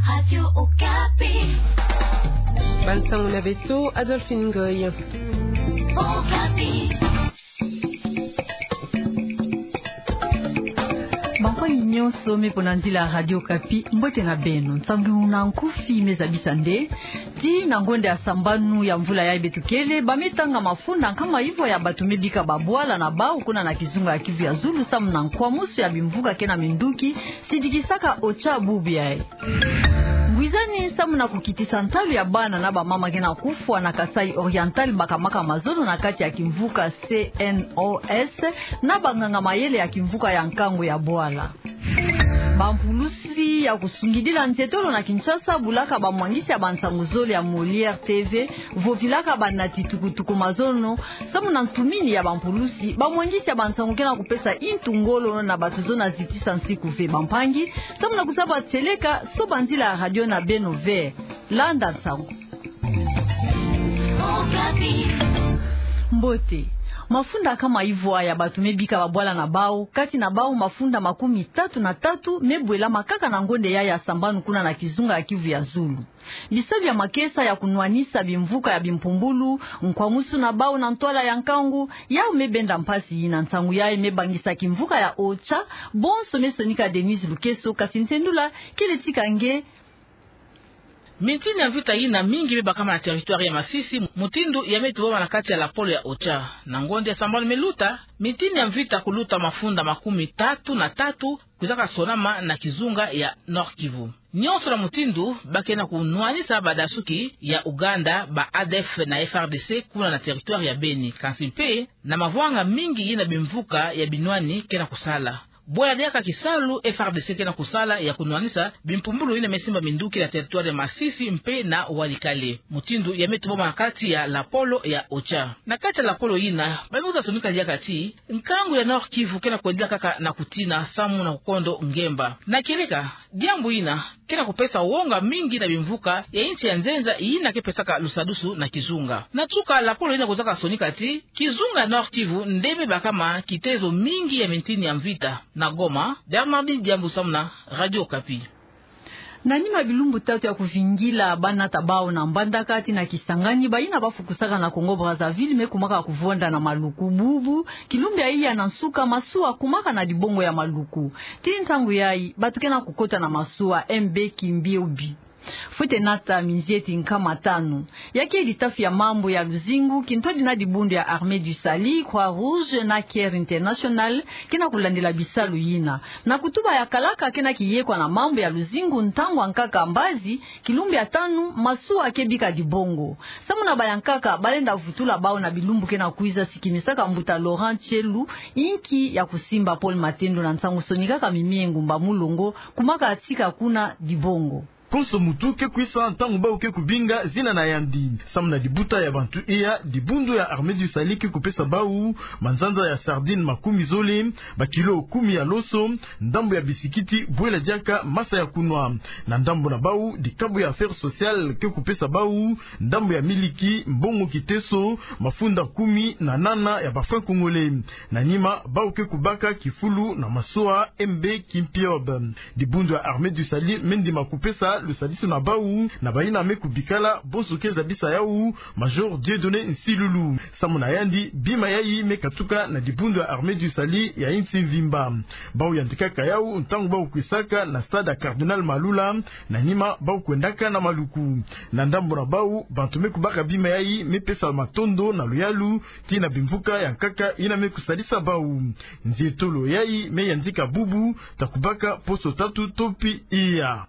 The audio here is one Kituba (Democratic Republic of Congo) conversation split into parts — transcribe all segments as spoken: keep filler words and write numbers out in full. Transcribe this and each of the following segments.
Radio Okapi. Bansango na beto, Adolphine Ngoy. Okapi. Bampangi nyonso me pona nzila ya Radio Okapi, mbote na beno. Nsangu na nkufi me zabisa nde, tii na ngonda ya sambanu ya mvula yayi beto kele, ba me tanga mafunda nkama ivwa ya bato me bika babwala na bau kuna na kizunga ya Kivu ya Zulu, samu na nkwamusu ya bimvuka ke na minduki, sidikisaka OCHA bubu yayi. Ngwizani samu na kukitisa ntalu ya bana na bamama ke na kufwa na Kasaï Oriental bakamaka mazono na kati ya kimvuka C N O S na banganga-mayele ya kimvuka ya nkangu ya bwala. Bampulusi ya kusungidila nzietolo na Kinshasa bulaka bamwangisi ya bansangu zole ya Molière T V, vovilaka banati tukutuku mazono, samu na ntumini ya bampulusi, bamwangisi ya bansangu ke na kupesa intu ngolo na bato zona zitisa nsiku ve. Bampangi, samu na kuzaba tieleka, soba nzila ya radio na beno ve. Landa nsangu. Mbote. Mafunda nkama ivwa ya bato me bika babwala na bau, kati na bau mafunda makumi tatu na tatu me bwelama kaka na ngonda yayi ya sambanu kuna na kizunga ya Kivu ya Zulu. Bisalu ya makesa ya kunwanisa bimvuka ya bimpumbulu, nkwamusu na bau na ntwala ya nkangu, yau me benda mpasi. Na nsangu yayi me bangisa kimvuka ya OCHA, bonso me sonika Denise Lukeso, kasi ntendula kele tika nge. Mintini ya mvita yina mingi me bakama na territoire ya Masisi, mutindu ya me tubama na kati ya lapolo ya OCHA. Na ngonda ya sambanu me luta, mintini ya mvita kuluta mafunda makumi tatu na tatu kwizaka sonama na kizunga ya Nord-Kivu. Nyonso na mutindu ba ke na kunwanisa badasuki ya Ouganda, ba A D F na F R D C kuna na territoire ya Beni. Kansi mpe na mavwanga mingi yina bimvuka ya binwani ke na kusala. Bwela diaka kisalu F R D C ke na kusala ya kunwanisa bimpumbulu yina me simba minduki na territoire ya Masisi mpe na Walikale. Mutindu ya me tubama na kati ya lapolo ya OCHA. Na kati ya lapolo yina, ba me kwiza sonika diaka ti nkangu ya Nord-Kivu ke na kwendila kaka na kutina samu na kukondo ngemba. Na kieleka, diambu yina ke na kupesa wonga mingi na bimvuka ya insi ya nzenza yina ke pesaka lusadusu na kizunga. Na nsuka, lapolo yina kwizaka sonika ti kizunga Nord-Kivu nde me bakama kitezo mingi ya mintini ya mvita. Na Goma, Bernardine Diambu samu na Radio Okapi. Na nima bilumbu tatu ya kuvingila, ba nata bau na Mbandaka tii na Kisangani, bayina ba fukusaka na Congo-Brazzaville me kumaka kuvonda na maluku. Bubu kilumbu ya iya na nsuka, masuwa kumaka na dibongo ya maluku. Tii ntangu yayi, bato ke na kukota na masuwa M B Kimpiob. Fwete nata minzieti nkama tanu. Ya ke litafi ya mambu ya luzingu, kintwadi na dibundu ya Armée du Salut, Croix-Rouge na Care International ke na kulandila bisalu yina. Na kutuba ya kalaka, ke na kiyekwa na mambu ya luzingu, ntangu ya nkaka mbazi, kilumbu ya tanu, masuwa ke bika dibongo. Samu na bayankaka, ba lenda vutula bau na bilumbu ke na kwiza, sikimisaka mbuta Laurent Tshelu, inki ya kusimba Paul Matendo na nsangu sonikaka Mimie Ngumba Mulongo, kumaka tika kuna dibongo. Konso muntu ke kwisa ntangu bau ke kubinga zina na yandi. Samu na dibuta ya bantu iya, dibundu ya Armée du Salut ke kupesa bau manzanza ya sardine makumi zole, bakilo kumi ya loso, ndambu ya bisikiti, bwela diaka masa ya kunwa. Na ndambu na bau, dikabu ya Affaires Sociales ke kupesa bau ndambu ya miliki, mbongo kiteso, mafunda kumi na nana ya ba francs congolais. Na nima, bau ke kubaka kifulu na masuwa M B Kimpiob. Dibundu ya Armée du Salut me ndima kupesa lusadisu na bau, na bayina me kubikala, bonso ke zabisa yau Major Dieudonné Nsilulu. Samu na yandi, bima yayi me katuka na dibundu ya Armée du Salut ya insi mvimba. Bau yandikaka yau ntangu bau kwisaka na stade ya Cardinal Malula, na nima bau kwendaka na maluku. Na ndambu na bau, bantu me kubaka bima yayi me pesa matondo na luyalu tii na bimvuka ya nkaka yina me kusadisa bau. Nzietolo yayi me yandika bubu, ta kubaka poso tatu to mpi iya.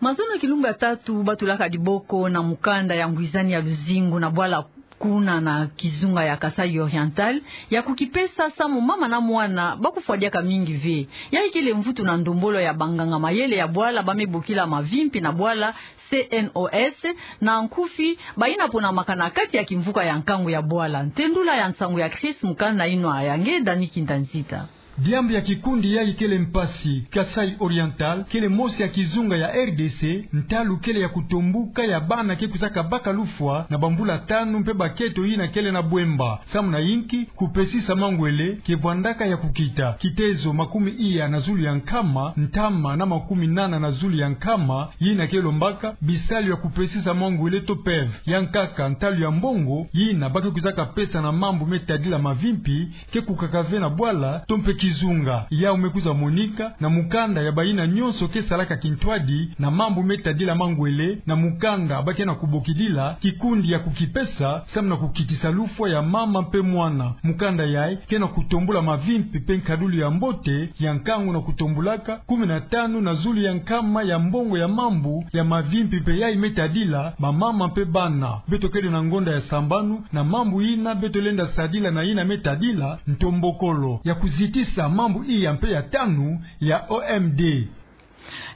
Mazono kilumbu ya tatu batulaka diboko na mukanda ya ngwizani ya luzingu na bwala kuna na kizunga ya Kasaï Oriental, ya kukipesa samu mama na mwana ba kufwa diaka mingi ve. Yayi kele mvutu na ndombolo ya banganga mayele ya bwala ba me bokila mavimpi na bwala, C N O S, na nkufi, bayina ponamaka na kati ya kimvuka ya nkangu ya bwala. Ntendula ya nsangu ya Chris Mukanda, inwa ya nge Dani Kinda Nzita. Diambu ya kikundi yayi kele mpasi. Kasaï Oriental kele mosi ya kizunga ya R D C, ntalu kele ya kutombuka ya bana ke kwizaka baka lufwa na bambula tanu mpe bakento yina kele na bwemba. Samu na yinki, kupesisa mangwele ke vwandaka ya kukita. Kitezo makumi iya na zulu ya nkama, ntama na makumi nana na zulu ya nkama, yina ke lombaka bisalu ya kupesisa mangwele to PEV. Yankaka ntalu ya mbongo yina ba ke kwizaka pesa na mambu me tadila mavimpi, ke kukaka ve na bwala to mpe kizunga. Yawu me kwiza monika na mukanda ya bayina nyonso ke salaka kintwadi na mambu me tadila mangwele, na mukanda ba ke na kubokidila kikundi ya kukipesa, samu na kukitisa lufwa ya mama mpe mwana. Mukanda yayi ke na kutombula mavimpi mpe nkadulu ya mbote ya nkangu na kutombulaka kumi na tanu na zulu ya nkama ya mbongo ya mambu ya mavimpi mpe yayi me tadila bamama mpe bana. Beto kele na ngonda ya sambanu na mambu yina beto lenda sadila na yina me tadila ntombokolo ya kuzitisa mambu iya mpe ya tanu ya O M D.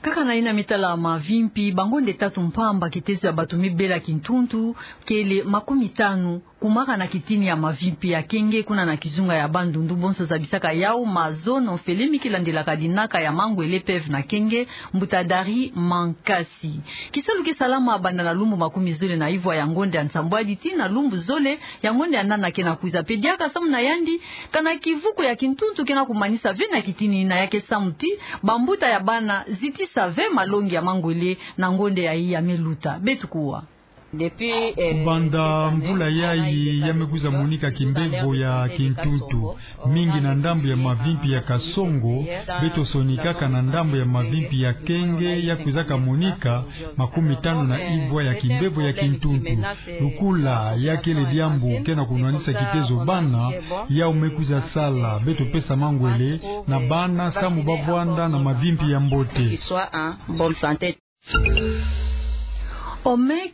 Kaka na yina me tala mavimpi, bangonda tatu mpamba kitezo ya bato me bela kintuntu kele makumi tanu, kumaka na kitini ya mavimpi ya Kenge kuna na kizunga ya Bandundu. Bonso zabisaka yawu mazono felemi kilandelaka dinaka ya mangwele PEV na Kenge, mbuta Dari Mankasi. Kisalu ke salama banda na lumbu makumi zole na ivwa ya ngonda ya nsambwadi tii na lumbu zole ya ngonda ya nana ke na kwiza. Mpe diaka samu na yandi, kana kivuku ya kintuntu ke na kumanisa ve na kitini yina, ya ke samu ti bambuta ya bana zitisa ve malongi ya mangwele na ngonda yayi ya me luta. Beto kuwa. Banda mvula yayi ya me kwiza monika kimbevo ya kintuntu mingi na ndambu ya mavimpi ya Kasongo. Beto sonikaka na ndambu ya mavimpi ya Kenge ya kwizaka monika makumi tanu na ivwa ya kimbevo ya kintuntu. Lukula ya kele diambu ke na kunwanisa kitezo bana, yawu me kwiza sala beto pesa mangwele na bana samu ba vwanda na mavimpi ya mbote. Omek,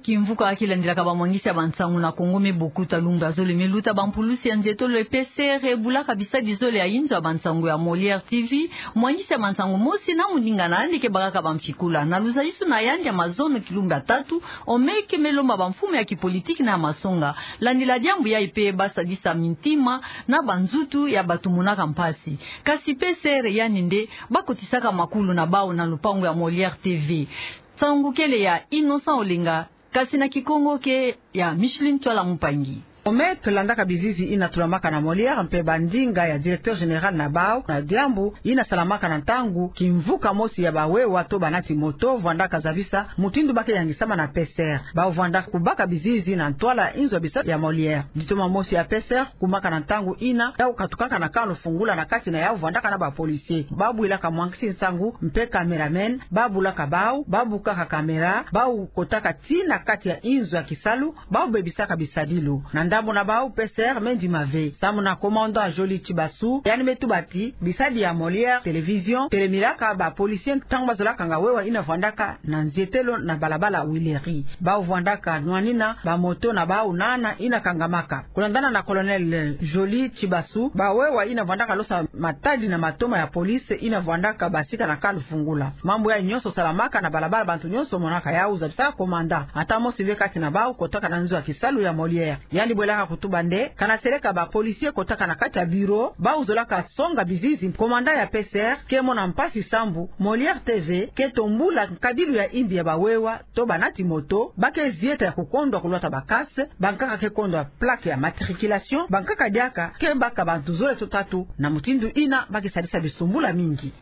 kimvuka kilandelaka bamwangisi ya bansangu na Kongo me bokuta lumbu ya zole me luta. Bampulusi ya nzietolo ya P C R bulaka bisadi zole ya inzo ya bansangu ya Molière T V. Mwangisi ya bansangu mosi na moninga na yandi ke bakaka bamfikula. Na luzayusu na yandi ya mazono kilumbu ya tatu, Omek me lomba bamfumu ya kipolitiki na ya masonga, landila diambu yayi mpe ba sadisa mintima na banzutu ya bato monaka mpasi. Kasi P C R yandi nde ba kotisaka makulu na bawu na lupangu ya Molière T V. Nsangu kele ya Innocent Olenga, kasi na Kikongo ke ya Micheline Twala Mpangi. Omek landaka bizizi yina tulamaka na Molière mpe bandinga ya directeur général na bawu na diambu yina salamaka na ntangu kimvuka mosi ya bawewa to banati moto vwandaka zabisa mutindu ba ke yangisama na P C R. Bawu vwandaka kubaka bizizi na ntwala inzo ya bisatu ya Molière. Ditoma mosi ya P C R kumaka na ntangu yina ya kukatukaka na camp Lufungula na kati na yawu vwandaka na ba policiers. Ba bwilaka mwangisi nsangu mpe cameraman, ba bulaka bawu, ba bukaka caméra, bawu kotaka tii na kati ya inzo ya kisalu, bawu bebisaka bisadilu. Na ndambu na bawu P C R me ndima ve. Samu na commandant Joly Tshibasu, yandi me tuba ti bisadi ya Molière Télévision telemilaka ba policiers ntangu ba zola kanga wewa yina vwandaka na nzietelo na balabala Huileries. Bawu vwandaka nwanina bamoto na bawu nana yina kangamaka. Kulandana na colonel Joly Tshibasu, bawewa yina vwandaka losa matadi na matoma ya police yina vwandaka basika na camp Lufungula. Mambu yayi nyonso salamaka na balabala, bantu nyonso monaka yawu, zabisa commandant. Ata mosi ve kati na bawu kotaka na nzo ya kisalu ya Molière. Yandi bwelaka kutuba nde kana seleka ba policiers kotaka na kati ya bureau, bawu zolaka songa bizizi. Commandant ya P C R ke mona mpasi sambu Molière T V ke tombula nkadilu ya imbi ya bawewa to banati moto, ba ke zieta ya kukondwa kulwata ba casque, bankaka ke kondwa plaque ya matriculation, bankaka diaka ke baka bantu zole to tatu na mutindu yina ba ke sadisa bisumbula mingi.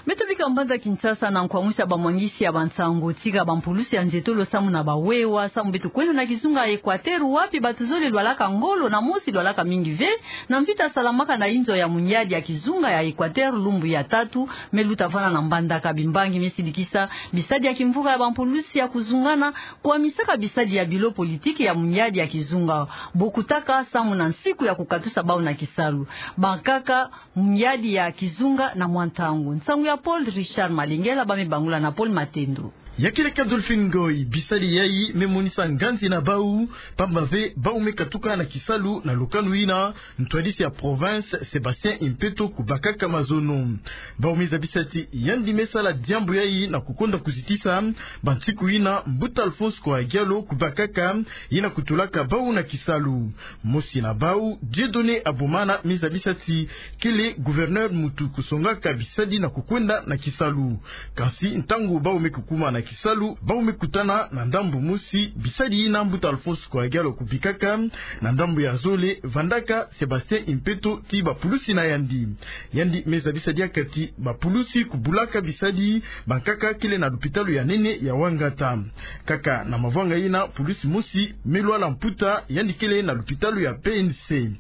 Beto bika mbanza Kinshasa na nkwamwisa bamwangisi ya bansangu tika bampulusi ya nzietolo samu na bawewa, samu beto kwenda na kizunga ya Equateur, wapi bato zole lwalaka ngolo na mosi lwalaka mingi ve na mvita salamaka na inzo ya munyadi ya kizunga ya Equateur lumbu ya tatu me luta vana. Na mbandaka bimbangi me sidikisa bisadi ya kimvuka ya bampulusi ya kuzungana, kwamisaka bisadi ya bilo politiki ya munyadi ya kizunga, bokutaka samu na nsiku ya kukatusa bawu na kisalu. Bankaka munyadi ya kizunga na mwa ntangu. Nsangu ya Paul Richard Malengela, ba me bangula na Paul Matendo. Ya keleka Dolphine Ngoy, bisadi yayi me monisa nganzi na bau, pamba ve bau me katuka na kisalu na lukanu yina ntwadisi ya province Sébastien Impeto kubakaka mazono. Bau me zabisa ti yandi me sala diambu yayi na kukonda kuzitisa bansiku yina mbuta Alphonse Koa Diallo kubakaka, yina kutulaka bau na kisalu. Mosi na bau, Dieudonné Abomana, me zabisa ti kele gouverneur muntu kusongaka bisadi na kukwenda na kisalu. Kansi ntangu bau me kukuma na kisalu, bau me kutana na ndambu mosi bisadi yina mbuta Alphonse Koa Diallo kubikaka, na ndambu ya zole vandaka Sébastien Impeto ti bapulusi na yandi. Yandi me zabisa diaka ti bapulusi kubulaka bisadi bankaka kele na lupitalu ya nene ya Ouangata. Kaka na mavwanga yina, pulusi mosi me lwala mputa, yandi kele na lupitalu ya P N C.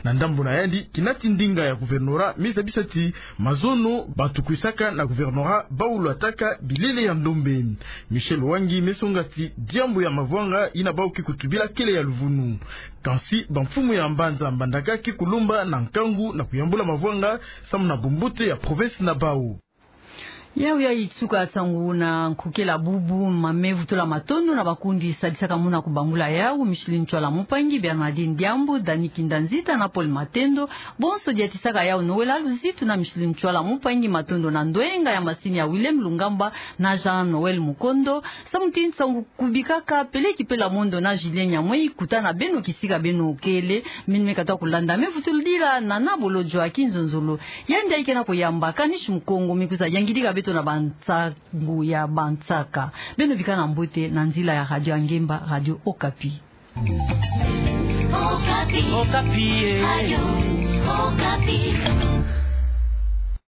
Na ndambu na yandi, kinati ndinga ya gouvernorat me zabisa ti mazono batukwisaka na gouvernorat bau lwataka bilele ya ndombe. Michel Wangi me songa ti diambu ya mavwanga yina bau ke kutubila kele ya luvunu. Kansi bamfumu ya mbanza mbandaka ke kulomba na nkangu na kuyambula mavwanga samu na bumbote ya province na bau. Yau yayi tuka nsangu na nkukela bubu. Ma me vutula matondo na bakundi sadisaka muna kubangula yau, Micheline Ntsoila Mumpangi, Bernardine Diambu, Dani Kinda Nzita na Paul Matendo. Bonso diatisaka yau Noël Aluzitu na Micheline Ntsoila Mumpangi. Matondo na ndwenga ya masini ya Willem Lungamba na Jean Noël Mukondo. Samu ti nsangu kubikaka peleki pela mondo na Julien Nyamwei, kutana beno kisika beno kele. Mini me katuka kulanda, me vutulila Nana Bolodjwa Kinzonzolo. Yandi yayi ke na kuyamba Kanish Mukongo, me kwiza yangidika beto na bansangu ya bansaka. Beno bikana mbote na nzila ya Radio Angemba, Radio Okapi. Okapi. Okapi, eh. Radio Okapi.